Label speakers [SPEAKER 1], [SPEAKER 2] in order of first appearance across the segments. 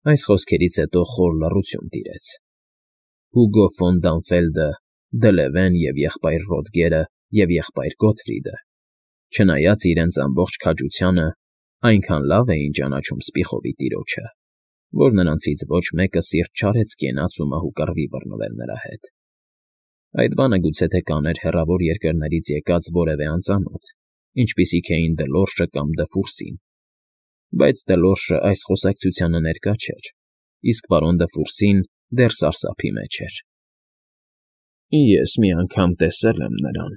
[SPEAKER 1] Այս խոսքերից հետո խոր լռություն տիրեց։ Հուգո ֆոն Դանֆելդը, Դլևեն և եղբայր Ռոդգերը և եղբայր Գոթֆրիդը, չնայած իրենց ամբողջ քաջությանը, այնքան լավ էին ճանաչում Սպիխովի տիրոջը, որ նրանցից ոչ մեկը սիրտ չարեց կենաց ու մահու կռվի բռնվել նրա հետ։ Այդ բանը գուցե թե կաներ հեռավոր երկրներից եկած որևէ անծանոթ, ինչպիսիք էին Դլորշը կամ Դֆուրսին, բայց Դլորշը այս խոսակցությանը ներկա չէր, իսկ պարոն Դֆուրսին դեռ սարսափի մեջ էր։ Ես մի անգամ տեսել եմ նրան,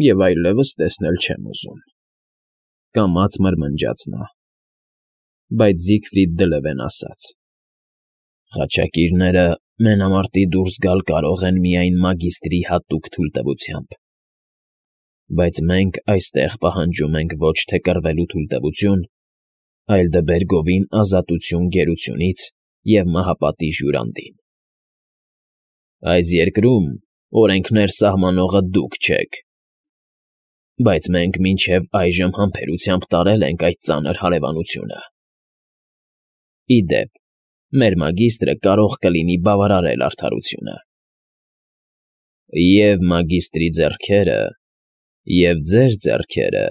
[SPEAKER 1] և այլևս տեսնել չեմ ուզում,֊ կամաց մրմնջաց նա։ Բայց Զիգֆրիդ Դլևեն ասաց. «Խաչակիրները մենամարտի դուրս գալ կարող են միայն մագիստրի հատուկ թույլտվությամբ, բայց մենք այստեղ պահանջում ենք ոչ թե կռվելու թույլտվություն, այլ դբեր գովին ազատություն գերությունից և մահապատիժ յուրանդին։ Այս երկրում օրենքներ սահմանողը դուք չեք, բայց մենք մինչև այժմ համբերությամբ տարել ենք այդ ծանր հարևանությունը։ Ի դեպ, մեր մագիստրը կարող կլինի բավարարել արդարությունը։ Եվ մագիստրի ձեռքերը, և ձեր ձեռքերը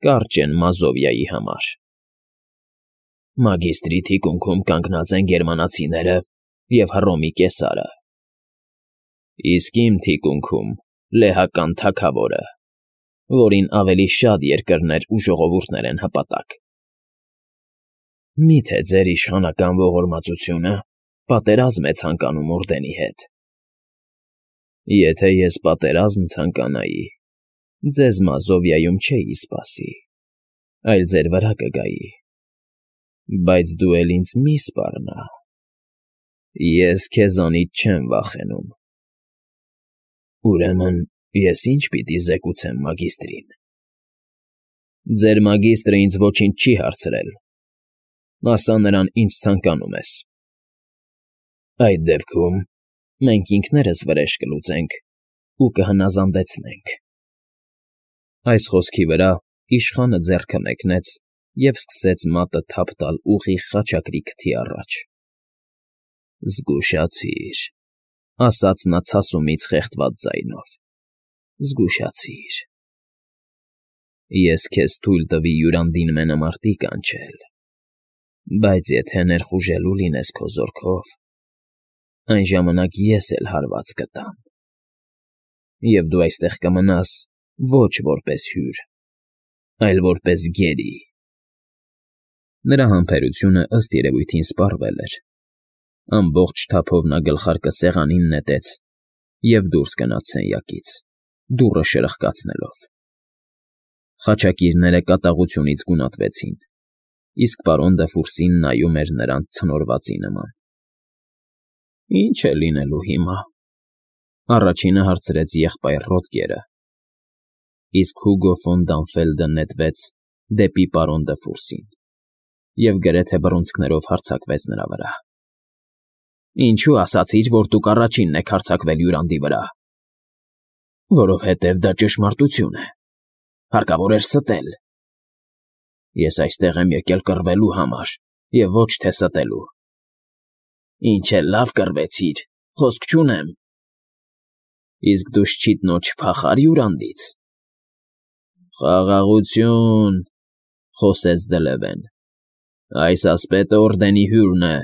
[SPEAKER 1] կարճ են Մազովիայի համար։ Մագիստրի թիկունքում կանգնած են գերմանացիները և Հռոմի կեսարը, իսկ իմ թիկունքում լեհական թագավորը, որին ավելի շատ երկրներ ու ժողովուրդներ են հպատակ։ Մի՞թե ձեր իշխանական ողորմածությունը պատերազմ է ցանկանում օրդենի հետ։ Եթե ես պատերազմ ցանկանայի, ձեզ Մազովիայում չէի սպասի, այլ ձեր վրա կգայի, բայց դու էլ ինձ մի՛ սպառնա, ես քեզանից չեմ վախենում։ Ուրեմն ես ի՞նչ պիտի զեկուցեմ մագիստրին։ Ձեր մագիստրը ինձ ոչինչ չի հարցրել, ասա նրան, ինչ ցանկանում ես։ Այդ դեպքում մենք ինքներս վրեժ կլուծենք ու կհնազանդեցնենք։ Այս խոսքի վրա իշխանը ձեռքը մեկնեց և սկսեց մատը թափ տալ ուղիղ խաչակրի քթի առաջ։ Զգուշացիր,֊ ասաց նա ցասումից խեղդված ձայնով,֊ զգուշացիր։ Ես քեզ թույլ տվի յուրանդին մենամարտի կանչել, բայց եթե ներխուժելու լինես քո զորքով, այն ժամանակ ես էլ հարված կտամ, և դու այստեղ կմնաս ոչ որպես հյուր, այլ որպես գերի։ Նրա համբերությունը ըստ երևույթին սպառվել էր։ Ամբողջ թափով նա գլխարկը սեղանին նետեց և դուրս գնաց սենյակից, դուռը շրխկացնելով։ Խաչակիրները կատաղությունից գունատվեցին, իսկ պարոն Դֆուրսին նայում էր նրանց ցնորվածի նման։ «Ի՞նչ է լինելու հիմա,֊ առաջինը հարցրեց եղբայր Ռոդգերը, իսկ Հուգո ֆոն Դանֆելդը նետվեց դեպի պարոն Դֆուրսին և գրեթե բռունցքներով հարձակվեց նրա վրա։ Ինչո՞ւ ասացիր, որ դուք առաջինն եք հարձակվել յուրանդի վրա։ Որովհետև դա ճշմարտություն է, հարկավոր էր ստել։ Ես այստեղ եմ եկել կռվելու համար և ոչ թե ստելու։ Ինչ էլ լավ կռվեցիր, խոսք չունեմ։ Իսկ դու շչիտնո չփախա՞ր յուրանդից։ Խաղաղություն,֊ խոսեց Դլևեն, այս ասպետը օրդենի հյուրն է։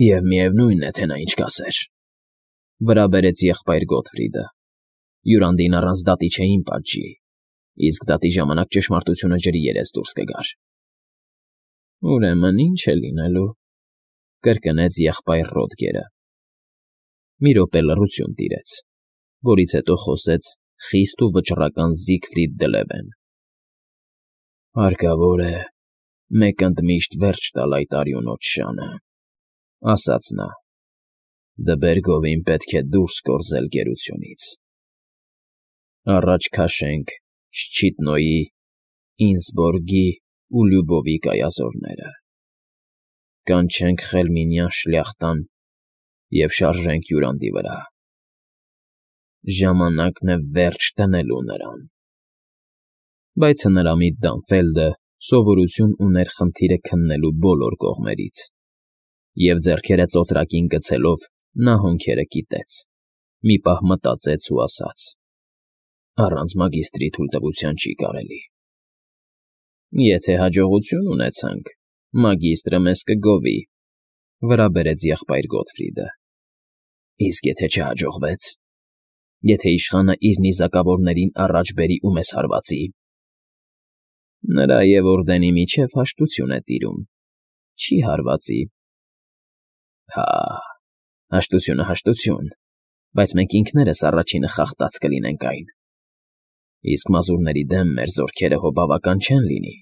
[SPEAKER 1] Եվ միևնույն է, թե նա ինչ կասեր,֊ վրա բերեց եղբայր Գոթֆրիդը։ Յուրանդին առանց դատի չէին պատժի, իսկ դատի ժամանակ ճշմարտությունը ջրի երես դուրս կգար։ Ուրեմն ի՞նչ է լինելու,֊ կրկնեց եղբայր Ռոդգերը։ Մի րոպե լռություն տիրեց, որից հետո խոսեց խիստ ու վճռական Զիգֆրիդ Դլևեն։ Հարկավոր է մեկ ընդմիշտ վերջ տալ այդ արյունոտ շանը,֊ ասաց նա։ Դբեր գովին պետք է դուրս կորզել գերությունից։ Առաջ քաշենք Շչիտնոյի, Ինսբորգի ու Լյուբովի կայազորները, կանչենք Խելմինյան շլյախտան և շարժենք յուրանդի վրա։ Ժամանակն է վերջ դնելու նրան։ Բայց հնարամիտ Դանֆելդը Սովորություն ուներ խնդիրը քննելու բոլոր կողմերից, և ձեռքերը ծոծրակին գցելով նա հոնքերը կիտեց, մի պահ մտածեց ու ասաց. «Առանց մագիստրի թույլտվության չի կարելի»։ «Եթե հաջողություն ունեցանք, մագիստրը մեզ կգովի», վրա բերեց եղբայր Գոթֆրիդը։ «Իսկ եթե չհաջողվեց, եթե իշխանը իր նիզակավորներին առաջ բերի ու մեզ հարվածի»։ «Նրա և օրդենի միջև հաշտություն է տիրում, չի հարվածի»։ «Հա, հաշտությունը հաշտություն, բայց մենք ինքներս առաջինը խախտած կլինենք այն, իսկ մազուրների դեմ մեր զորքերը հո բավական չեն լինի»։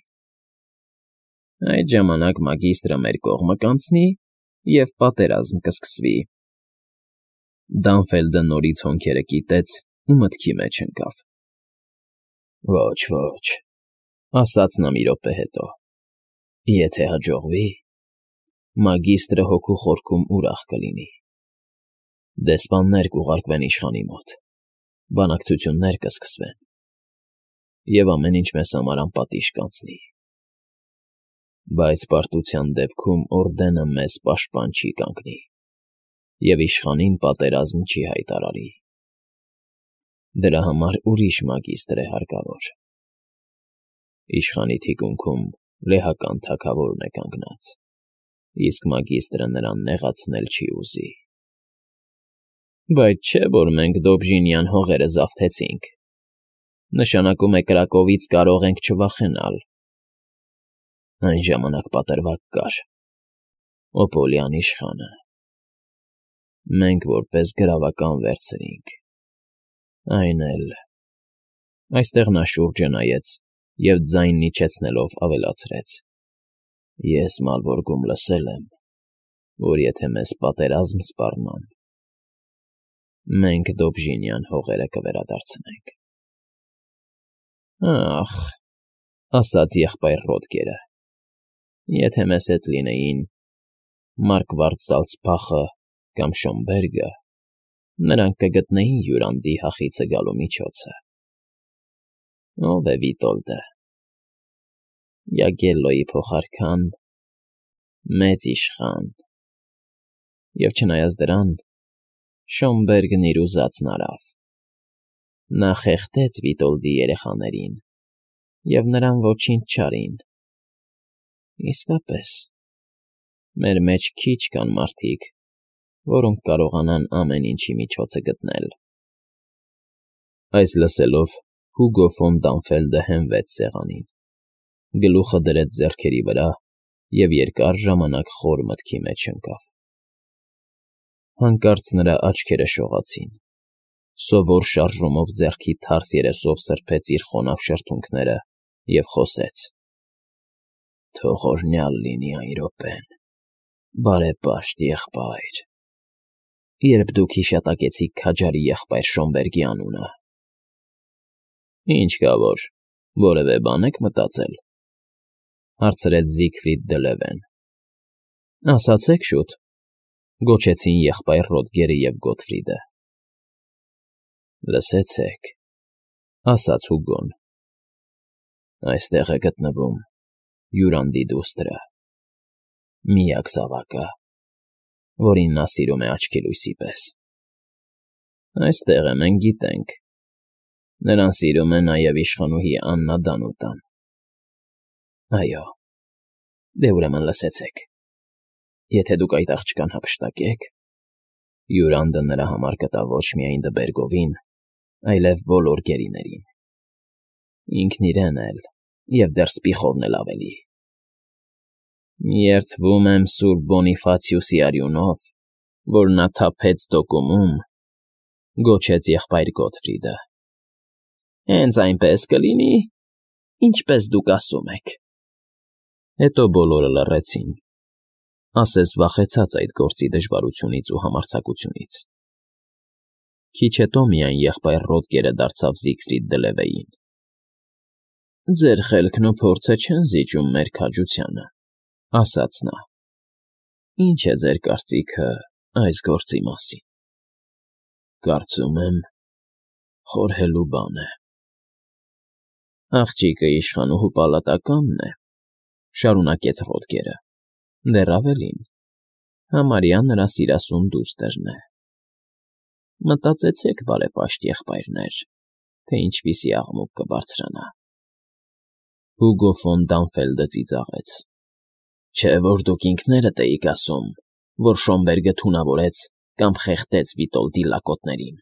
[SPEAKER 1] «Այդ ժամանակ մագիստրը մեր կողմը կանցնի, և պատերազմ կսկսվի»։ Դանֆելդը նորից հոնքերը կիտեց ու մտքի մեջ ընկավ։ «Ոչ, ոչ», ասաց նա մի րոպե հետո, «եթե հաջողվի, մագիստրը հոգու խորքում ուրախ կլինի։ Դեսպաններ կուղարկվեն իշխանի մոտ, բանակցություններ կսկսվեն, և ամեն ինչ մեզ համար անպատիժ կանցնի։ Բայց պարտության դեպքում օրդենը մեզ պաշտպան չի կանգնի և իշխանին պատերազմ չի հայտարարի։ Դրա համար ուրիշ մագիստր է հարկավոր։ Իշխանի թիկունքում լեհական թագավորն է կանգնած, իսկ մագիստրը նրան նեղացնել չի ուզի»։ «Բայց չէ՞ որ մենք Դոբժինյան հողերը զավթեցինք, նշանակում է կրակովից կարող ենք չվախենալ»։ «Այն ժամանակ պատրվակ կար, Օպոլյան իշխանը, մենք որպես գրավական վերցրինք, այն էլ…»։ Այստեղ նա շուրջը նայեց և ձայնն իջեցնելով ավելացրեց. «Ես Մալբորգում լսել եմ, որ եթե մեզ պատերազմ սպառնան, մենք Դոբժինյան հողերը կվերադարձնենք»։ «Ախ», ասաց եղբայր Ռոդգերը, «եթե մեզ հետ լինեին Մարկվարդ Զալցբախը կամ Շոմբերգը, նրանք կգտնեին Յուրանդի հախիցը գալու միջոցը։ Ո՞վ է Վիտոլդը։ Յագելլոյի փոխարքան, մեծ իշխան։ Եվ չնայած դրան, Շոմբերգն իր ուզածն արավ. նա խեղդեց Վիտոլդի երեխաներին, և նրան ոչինչ չարին։ Իսկապես, մեր մեջ քիչ կան մարդիկ, որոնք կարողանան ամեն ինչի միջոցը գտնել»։ Այս լսելով Հուգո ֆոն Դանֆելդը հենվեց սեղանին, գլուխը դրեց ձեռքերի վրա և երկար ժամանակ խոր մտքի մեջ ընկավ։ Հանկարծ նրա աչքերը շողացին, սովոր շարժումով ձեռքի թարս երեսով սրբեց իր խոնավ շրթունքները և խոսեց. «Թող օրհնյալ լինի այն րոպեն, բարեպաշտ եղբայր, երբ դուք հիշատակեցիք քաջարի եղբայր Շոմբերգի անունը»։ «Ինչ կա որ, որևէ բան եք մտածել», հարցրեց Զիգֆրիդ դը Լևեն։ «Ասացեք շուտ», գոչեցին եղբայր Ռոդգերը և Գոթֆրիդը։ «Լսեցեք», ասաց Հուգոն, «այստեղ է գտնվում Յուրանդի դուստրը, միակ զավակը, որին նա սիրում է աչքի լույսի պես։ Այստեղ է, մենք գիտենք, նրան սիրում է նաև իշխանուհի Աննա Դանուտան։ Այո, դե ուրեմն լսեցեք. եթե դուք այդ աղջկան հափշտակեք, Յուրանդը նրա համար կտա ոչ միայն Դբերգովին, այլև բոլոր գերիներին, ինքն իրեն էլ և դեռ Սպիխովն էլ ավելի»։ «Երդվում եմ սուրբ Բոնիֆացիուսի արյունով, որ նա թափեց Դոկումում», գոչեց եղբայր Գոթֆրիդը։ «Հենց այնպես կլինի, ինչպես դուք ասում եք»։ Հետո բոլորը լռեցին, ասես վախեցած այդ գործի դժվարությունից ու համարձակությունից։ Քիչ հետո միայն եղբայր Ռոդգերը դարձավ Զիգֆրիդ դը Լևեին. «Ձեր խելքն ու փորձը չեն զիջում մեր քաջությանը», ասաց նա։ «Ի՞նչ է ձեր կարծիքը այս գործի մասին»։ «Կարծում եմ, խորհելու բան է։ Աղջիկը իշխանուհու պալատականն է, շարունակեց Ռոդգերը, դեռ ավելին, համարյա նրա սիրասուն դուստրն է։ Մտածեցեք, բարեպաշտ եղբայրներ, թե ինչպիսի աղմուկ կբարձրանա։ Հուգո ֆոն Դանֆելդը ծիծաղեց։ Չէ՞ որ դուք ինքներդ էիք ասում, որ Շոմբերգը թունավորեց կամ խեղդեց Վիտոլդի լակոտներին,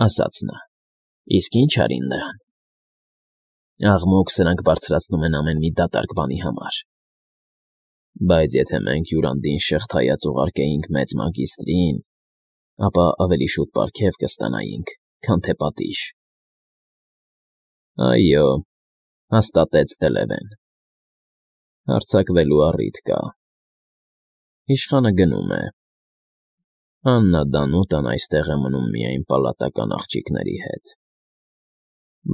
[SPEAKER 1] ասաց նա։ Իսկ ինչ արին նրան։ Աղմուկ սրանք բարձրացնում են ամեն մի դատարկ բանի համար։ Բայց եթե մենք Յուրանդին շղթայած ուղարկեինք մեծ մագիստրին, ապա ավելի շուտ պարգև կստանայինք, քան թե պատիժ։ Այո, հաստատեց Դելևեն։ Հարձակվելու առիթ կա։ Իշխանը գնում է։ Աննա Դանուտան այստեղ է մնում միայն պալատական աղջիկների հետ։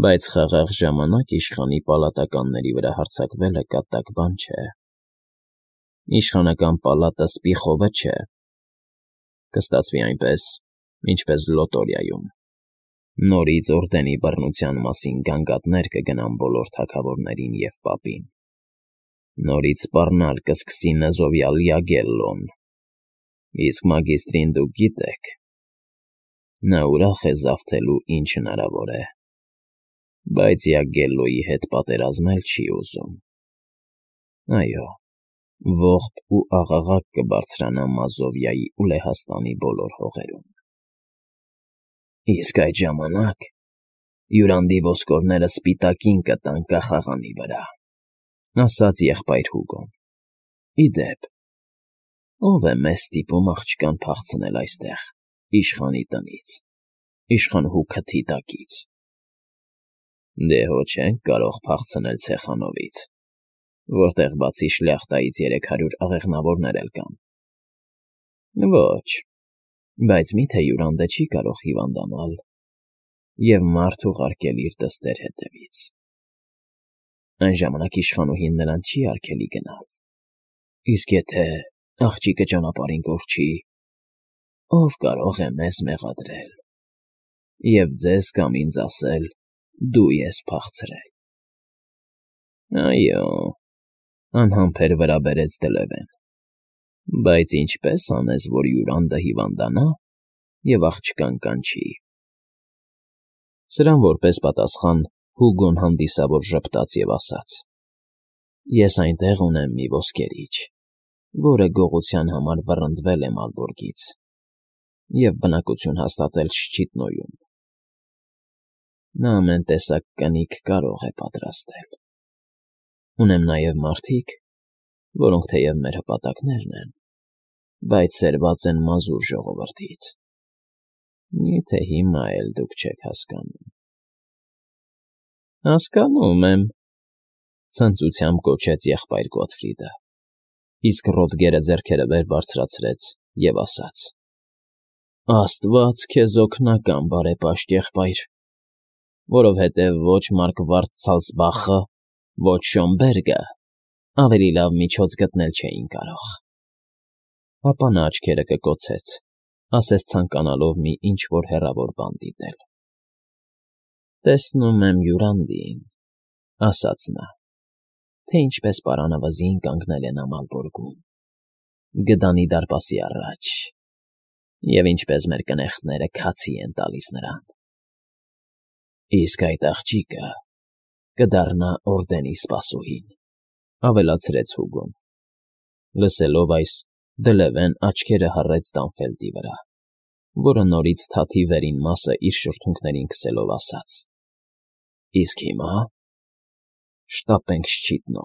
[SPEAKER 1] Բայց խաղաղ ժամանակ իշխանի պալատականների վրա հարձակվելը կատակ բան չէ։ Իշխանական պալատը Սպիխովը չէ։ Կստացվի այնպես, ինչպես Լոտորիայում։ Նորից օրդենի բռնության մասին գանգատներ կգնան բոլոր թագավորներին և պապին։ Նորից սպառնալ կսկսի նզովյալ Յագելլոն։ Իսկ մագիստրին դուք գիտեք։ Նա ուրախ է զավթելու ինչ հնարավոր է։ Բայց Յագելլոյի հետ պատերազմել չի ուզում։ Այո, ողբ ու աղաղակ կբարձրանա Մազովիայի ու Լեհաստանի բոլոր հողերում։ Իսկ այդ ժամանակ Յուրանդի ոսկորները սպիտակին կտան կախաղանի վրա, ասաց եղբայր Հուգոն։ Ի դեպ, ո՞վ է մեզ ստիպում աղջկան փախցնել այստեղ, իշխանի տնից, իշխանուհու քթի տակից։ Դե հո չենք կարող փախցնել Ցեխանովից, որտեղ բացի շլյախտայից 300 աղեղնավորներ էլ կան։ Ոչ, բայց միթե Յուրանդը չի կարող հիվանդանալ և մարդ ուղարկել իր դստեր հետևից։ Այն ժամանակ իշխանուհին նրան չի արգելի գնալ։ Իսկ եթե աղջիկը ճանապարհին կորչի, ով կարող է մեզ մեղադրել և ձեզ կամ ինձ ասել. դու ես փախցրել։ Այո, անհամբեր վրա բերեց Դելևեն։ Բայց ինչպես անես, որ Յուրանդը հիվանդանա և աղջկան կանչի։ Սրան որպես պատասխան Հուգոն հանդիսավոր ժպտաց և ասաց. Ես այնտեղ ունեմ մի ոսկերիչ, որը գողության համար վռնդվել է Մալբորգից և բնակություն հաստատել Շչիտնոյում։ Նա ամեն տեսակ կնիկ կարող է պատրաստել։ Ունեմ նաև մարդիկ, որոնք թեև մեր հպատակներն են, բայց սերված են մազուր ժողովրդից։ Միթե հիմա էլ դուք չեք հասկանում։ Հասկանում եմ, ցնծությամբ կոչեց եղբայր Գոթֆրիդը, իսկ Ռոդգերը ձեռքերը վեր բարձրացրեց և ասաց. Աստված քեզ օգնական, բարեպաշտ եղբայր, որովհետև ոչ Մարկվարդ Ցալցբախը, ոչ Շոմբերգը ավելի լավ միջոց գտնել չէին կարող։ Ապա նա աչքերը կկոցեց, ասես ցանկանալով մի ինչ֊որ հեռավոր բան դիտել։ Տեսնում եմ Յուրանդին, ասաց նա, թե ինչպես պարանավզին կանգնել է նա Մալբորգում, գդանի դարպասի առաջ, և ինչպես մեր կնեղտները քացի են տալիս նրան։ Իսկ այդ աղջիկը կդառնա օրդենի սպասուհին, ավելացրեց Հուգոն։ Լսելով այս, Դելևեն աչքերը հառեց Դանֆելդի վրա, որը նորից թաթի վերին մասը իր շրթունքներին քսելով ասաց. Իսկ հիմա շտապենք Շչիտնո։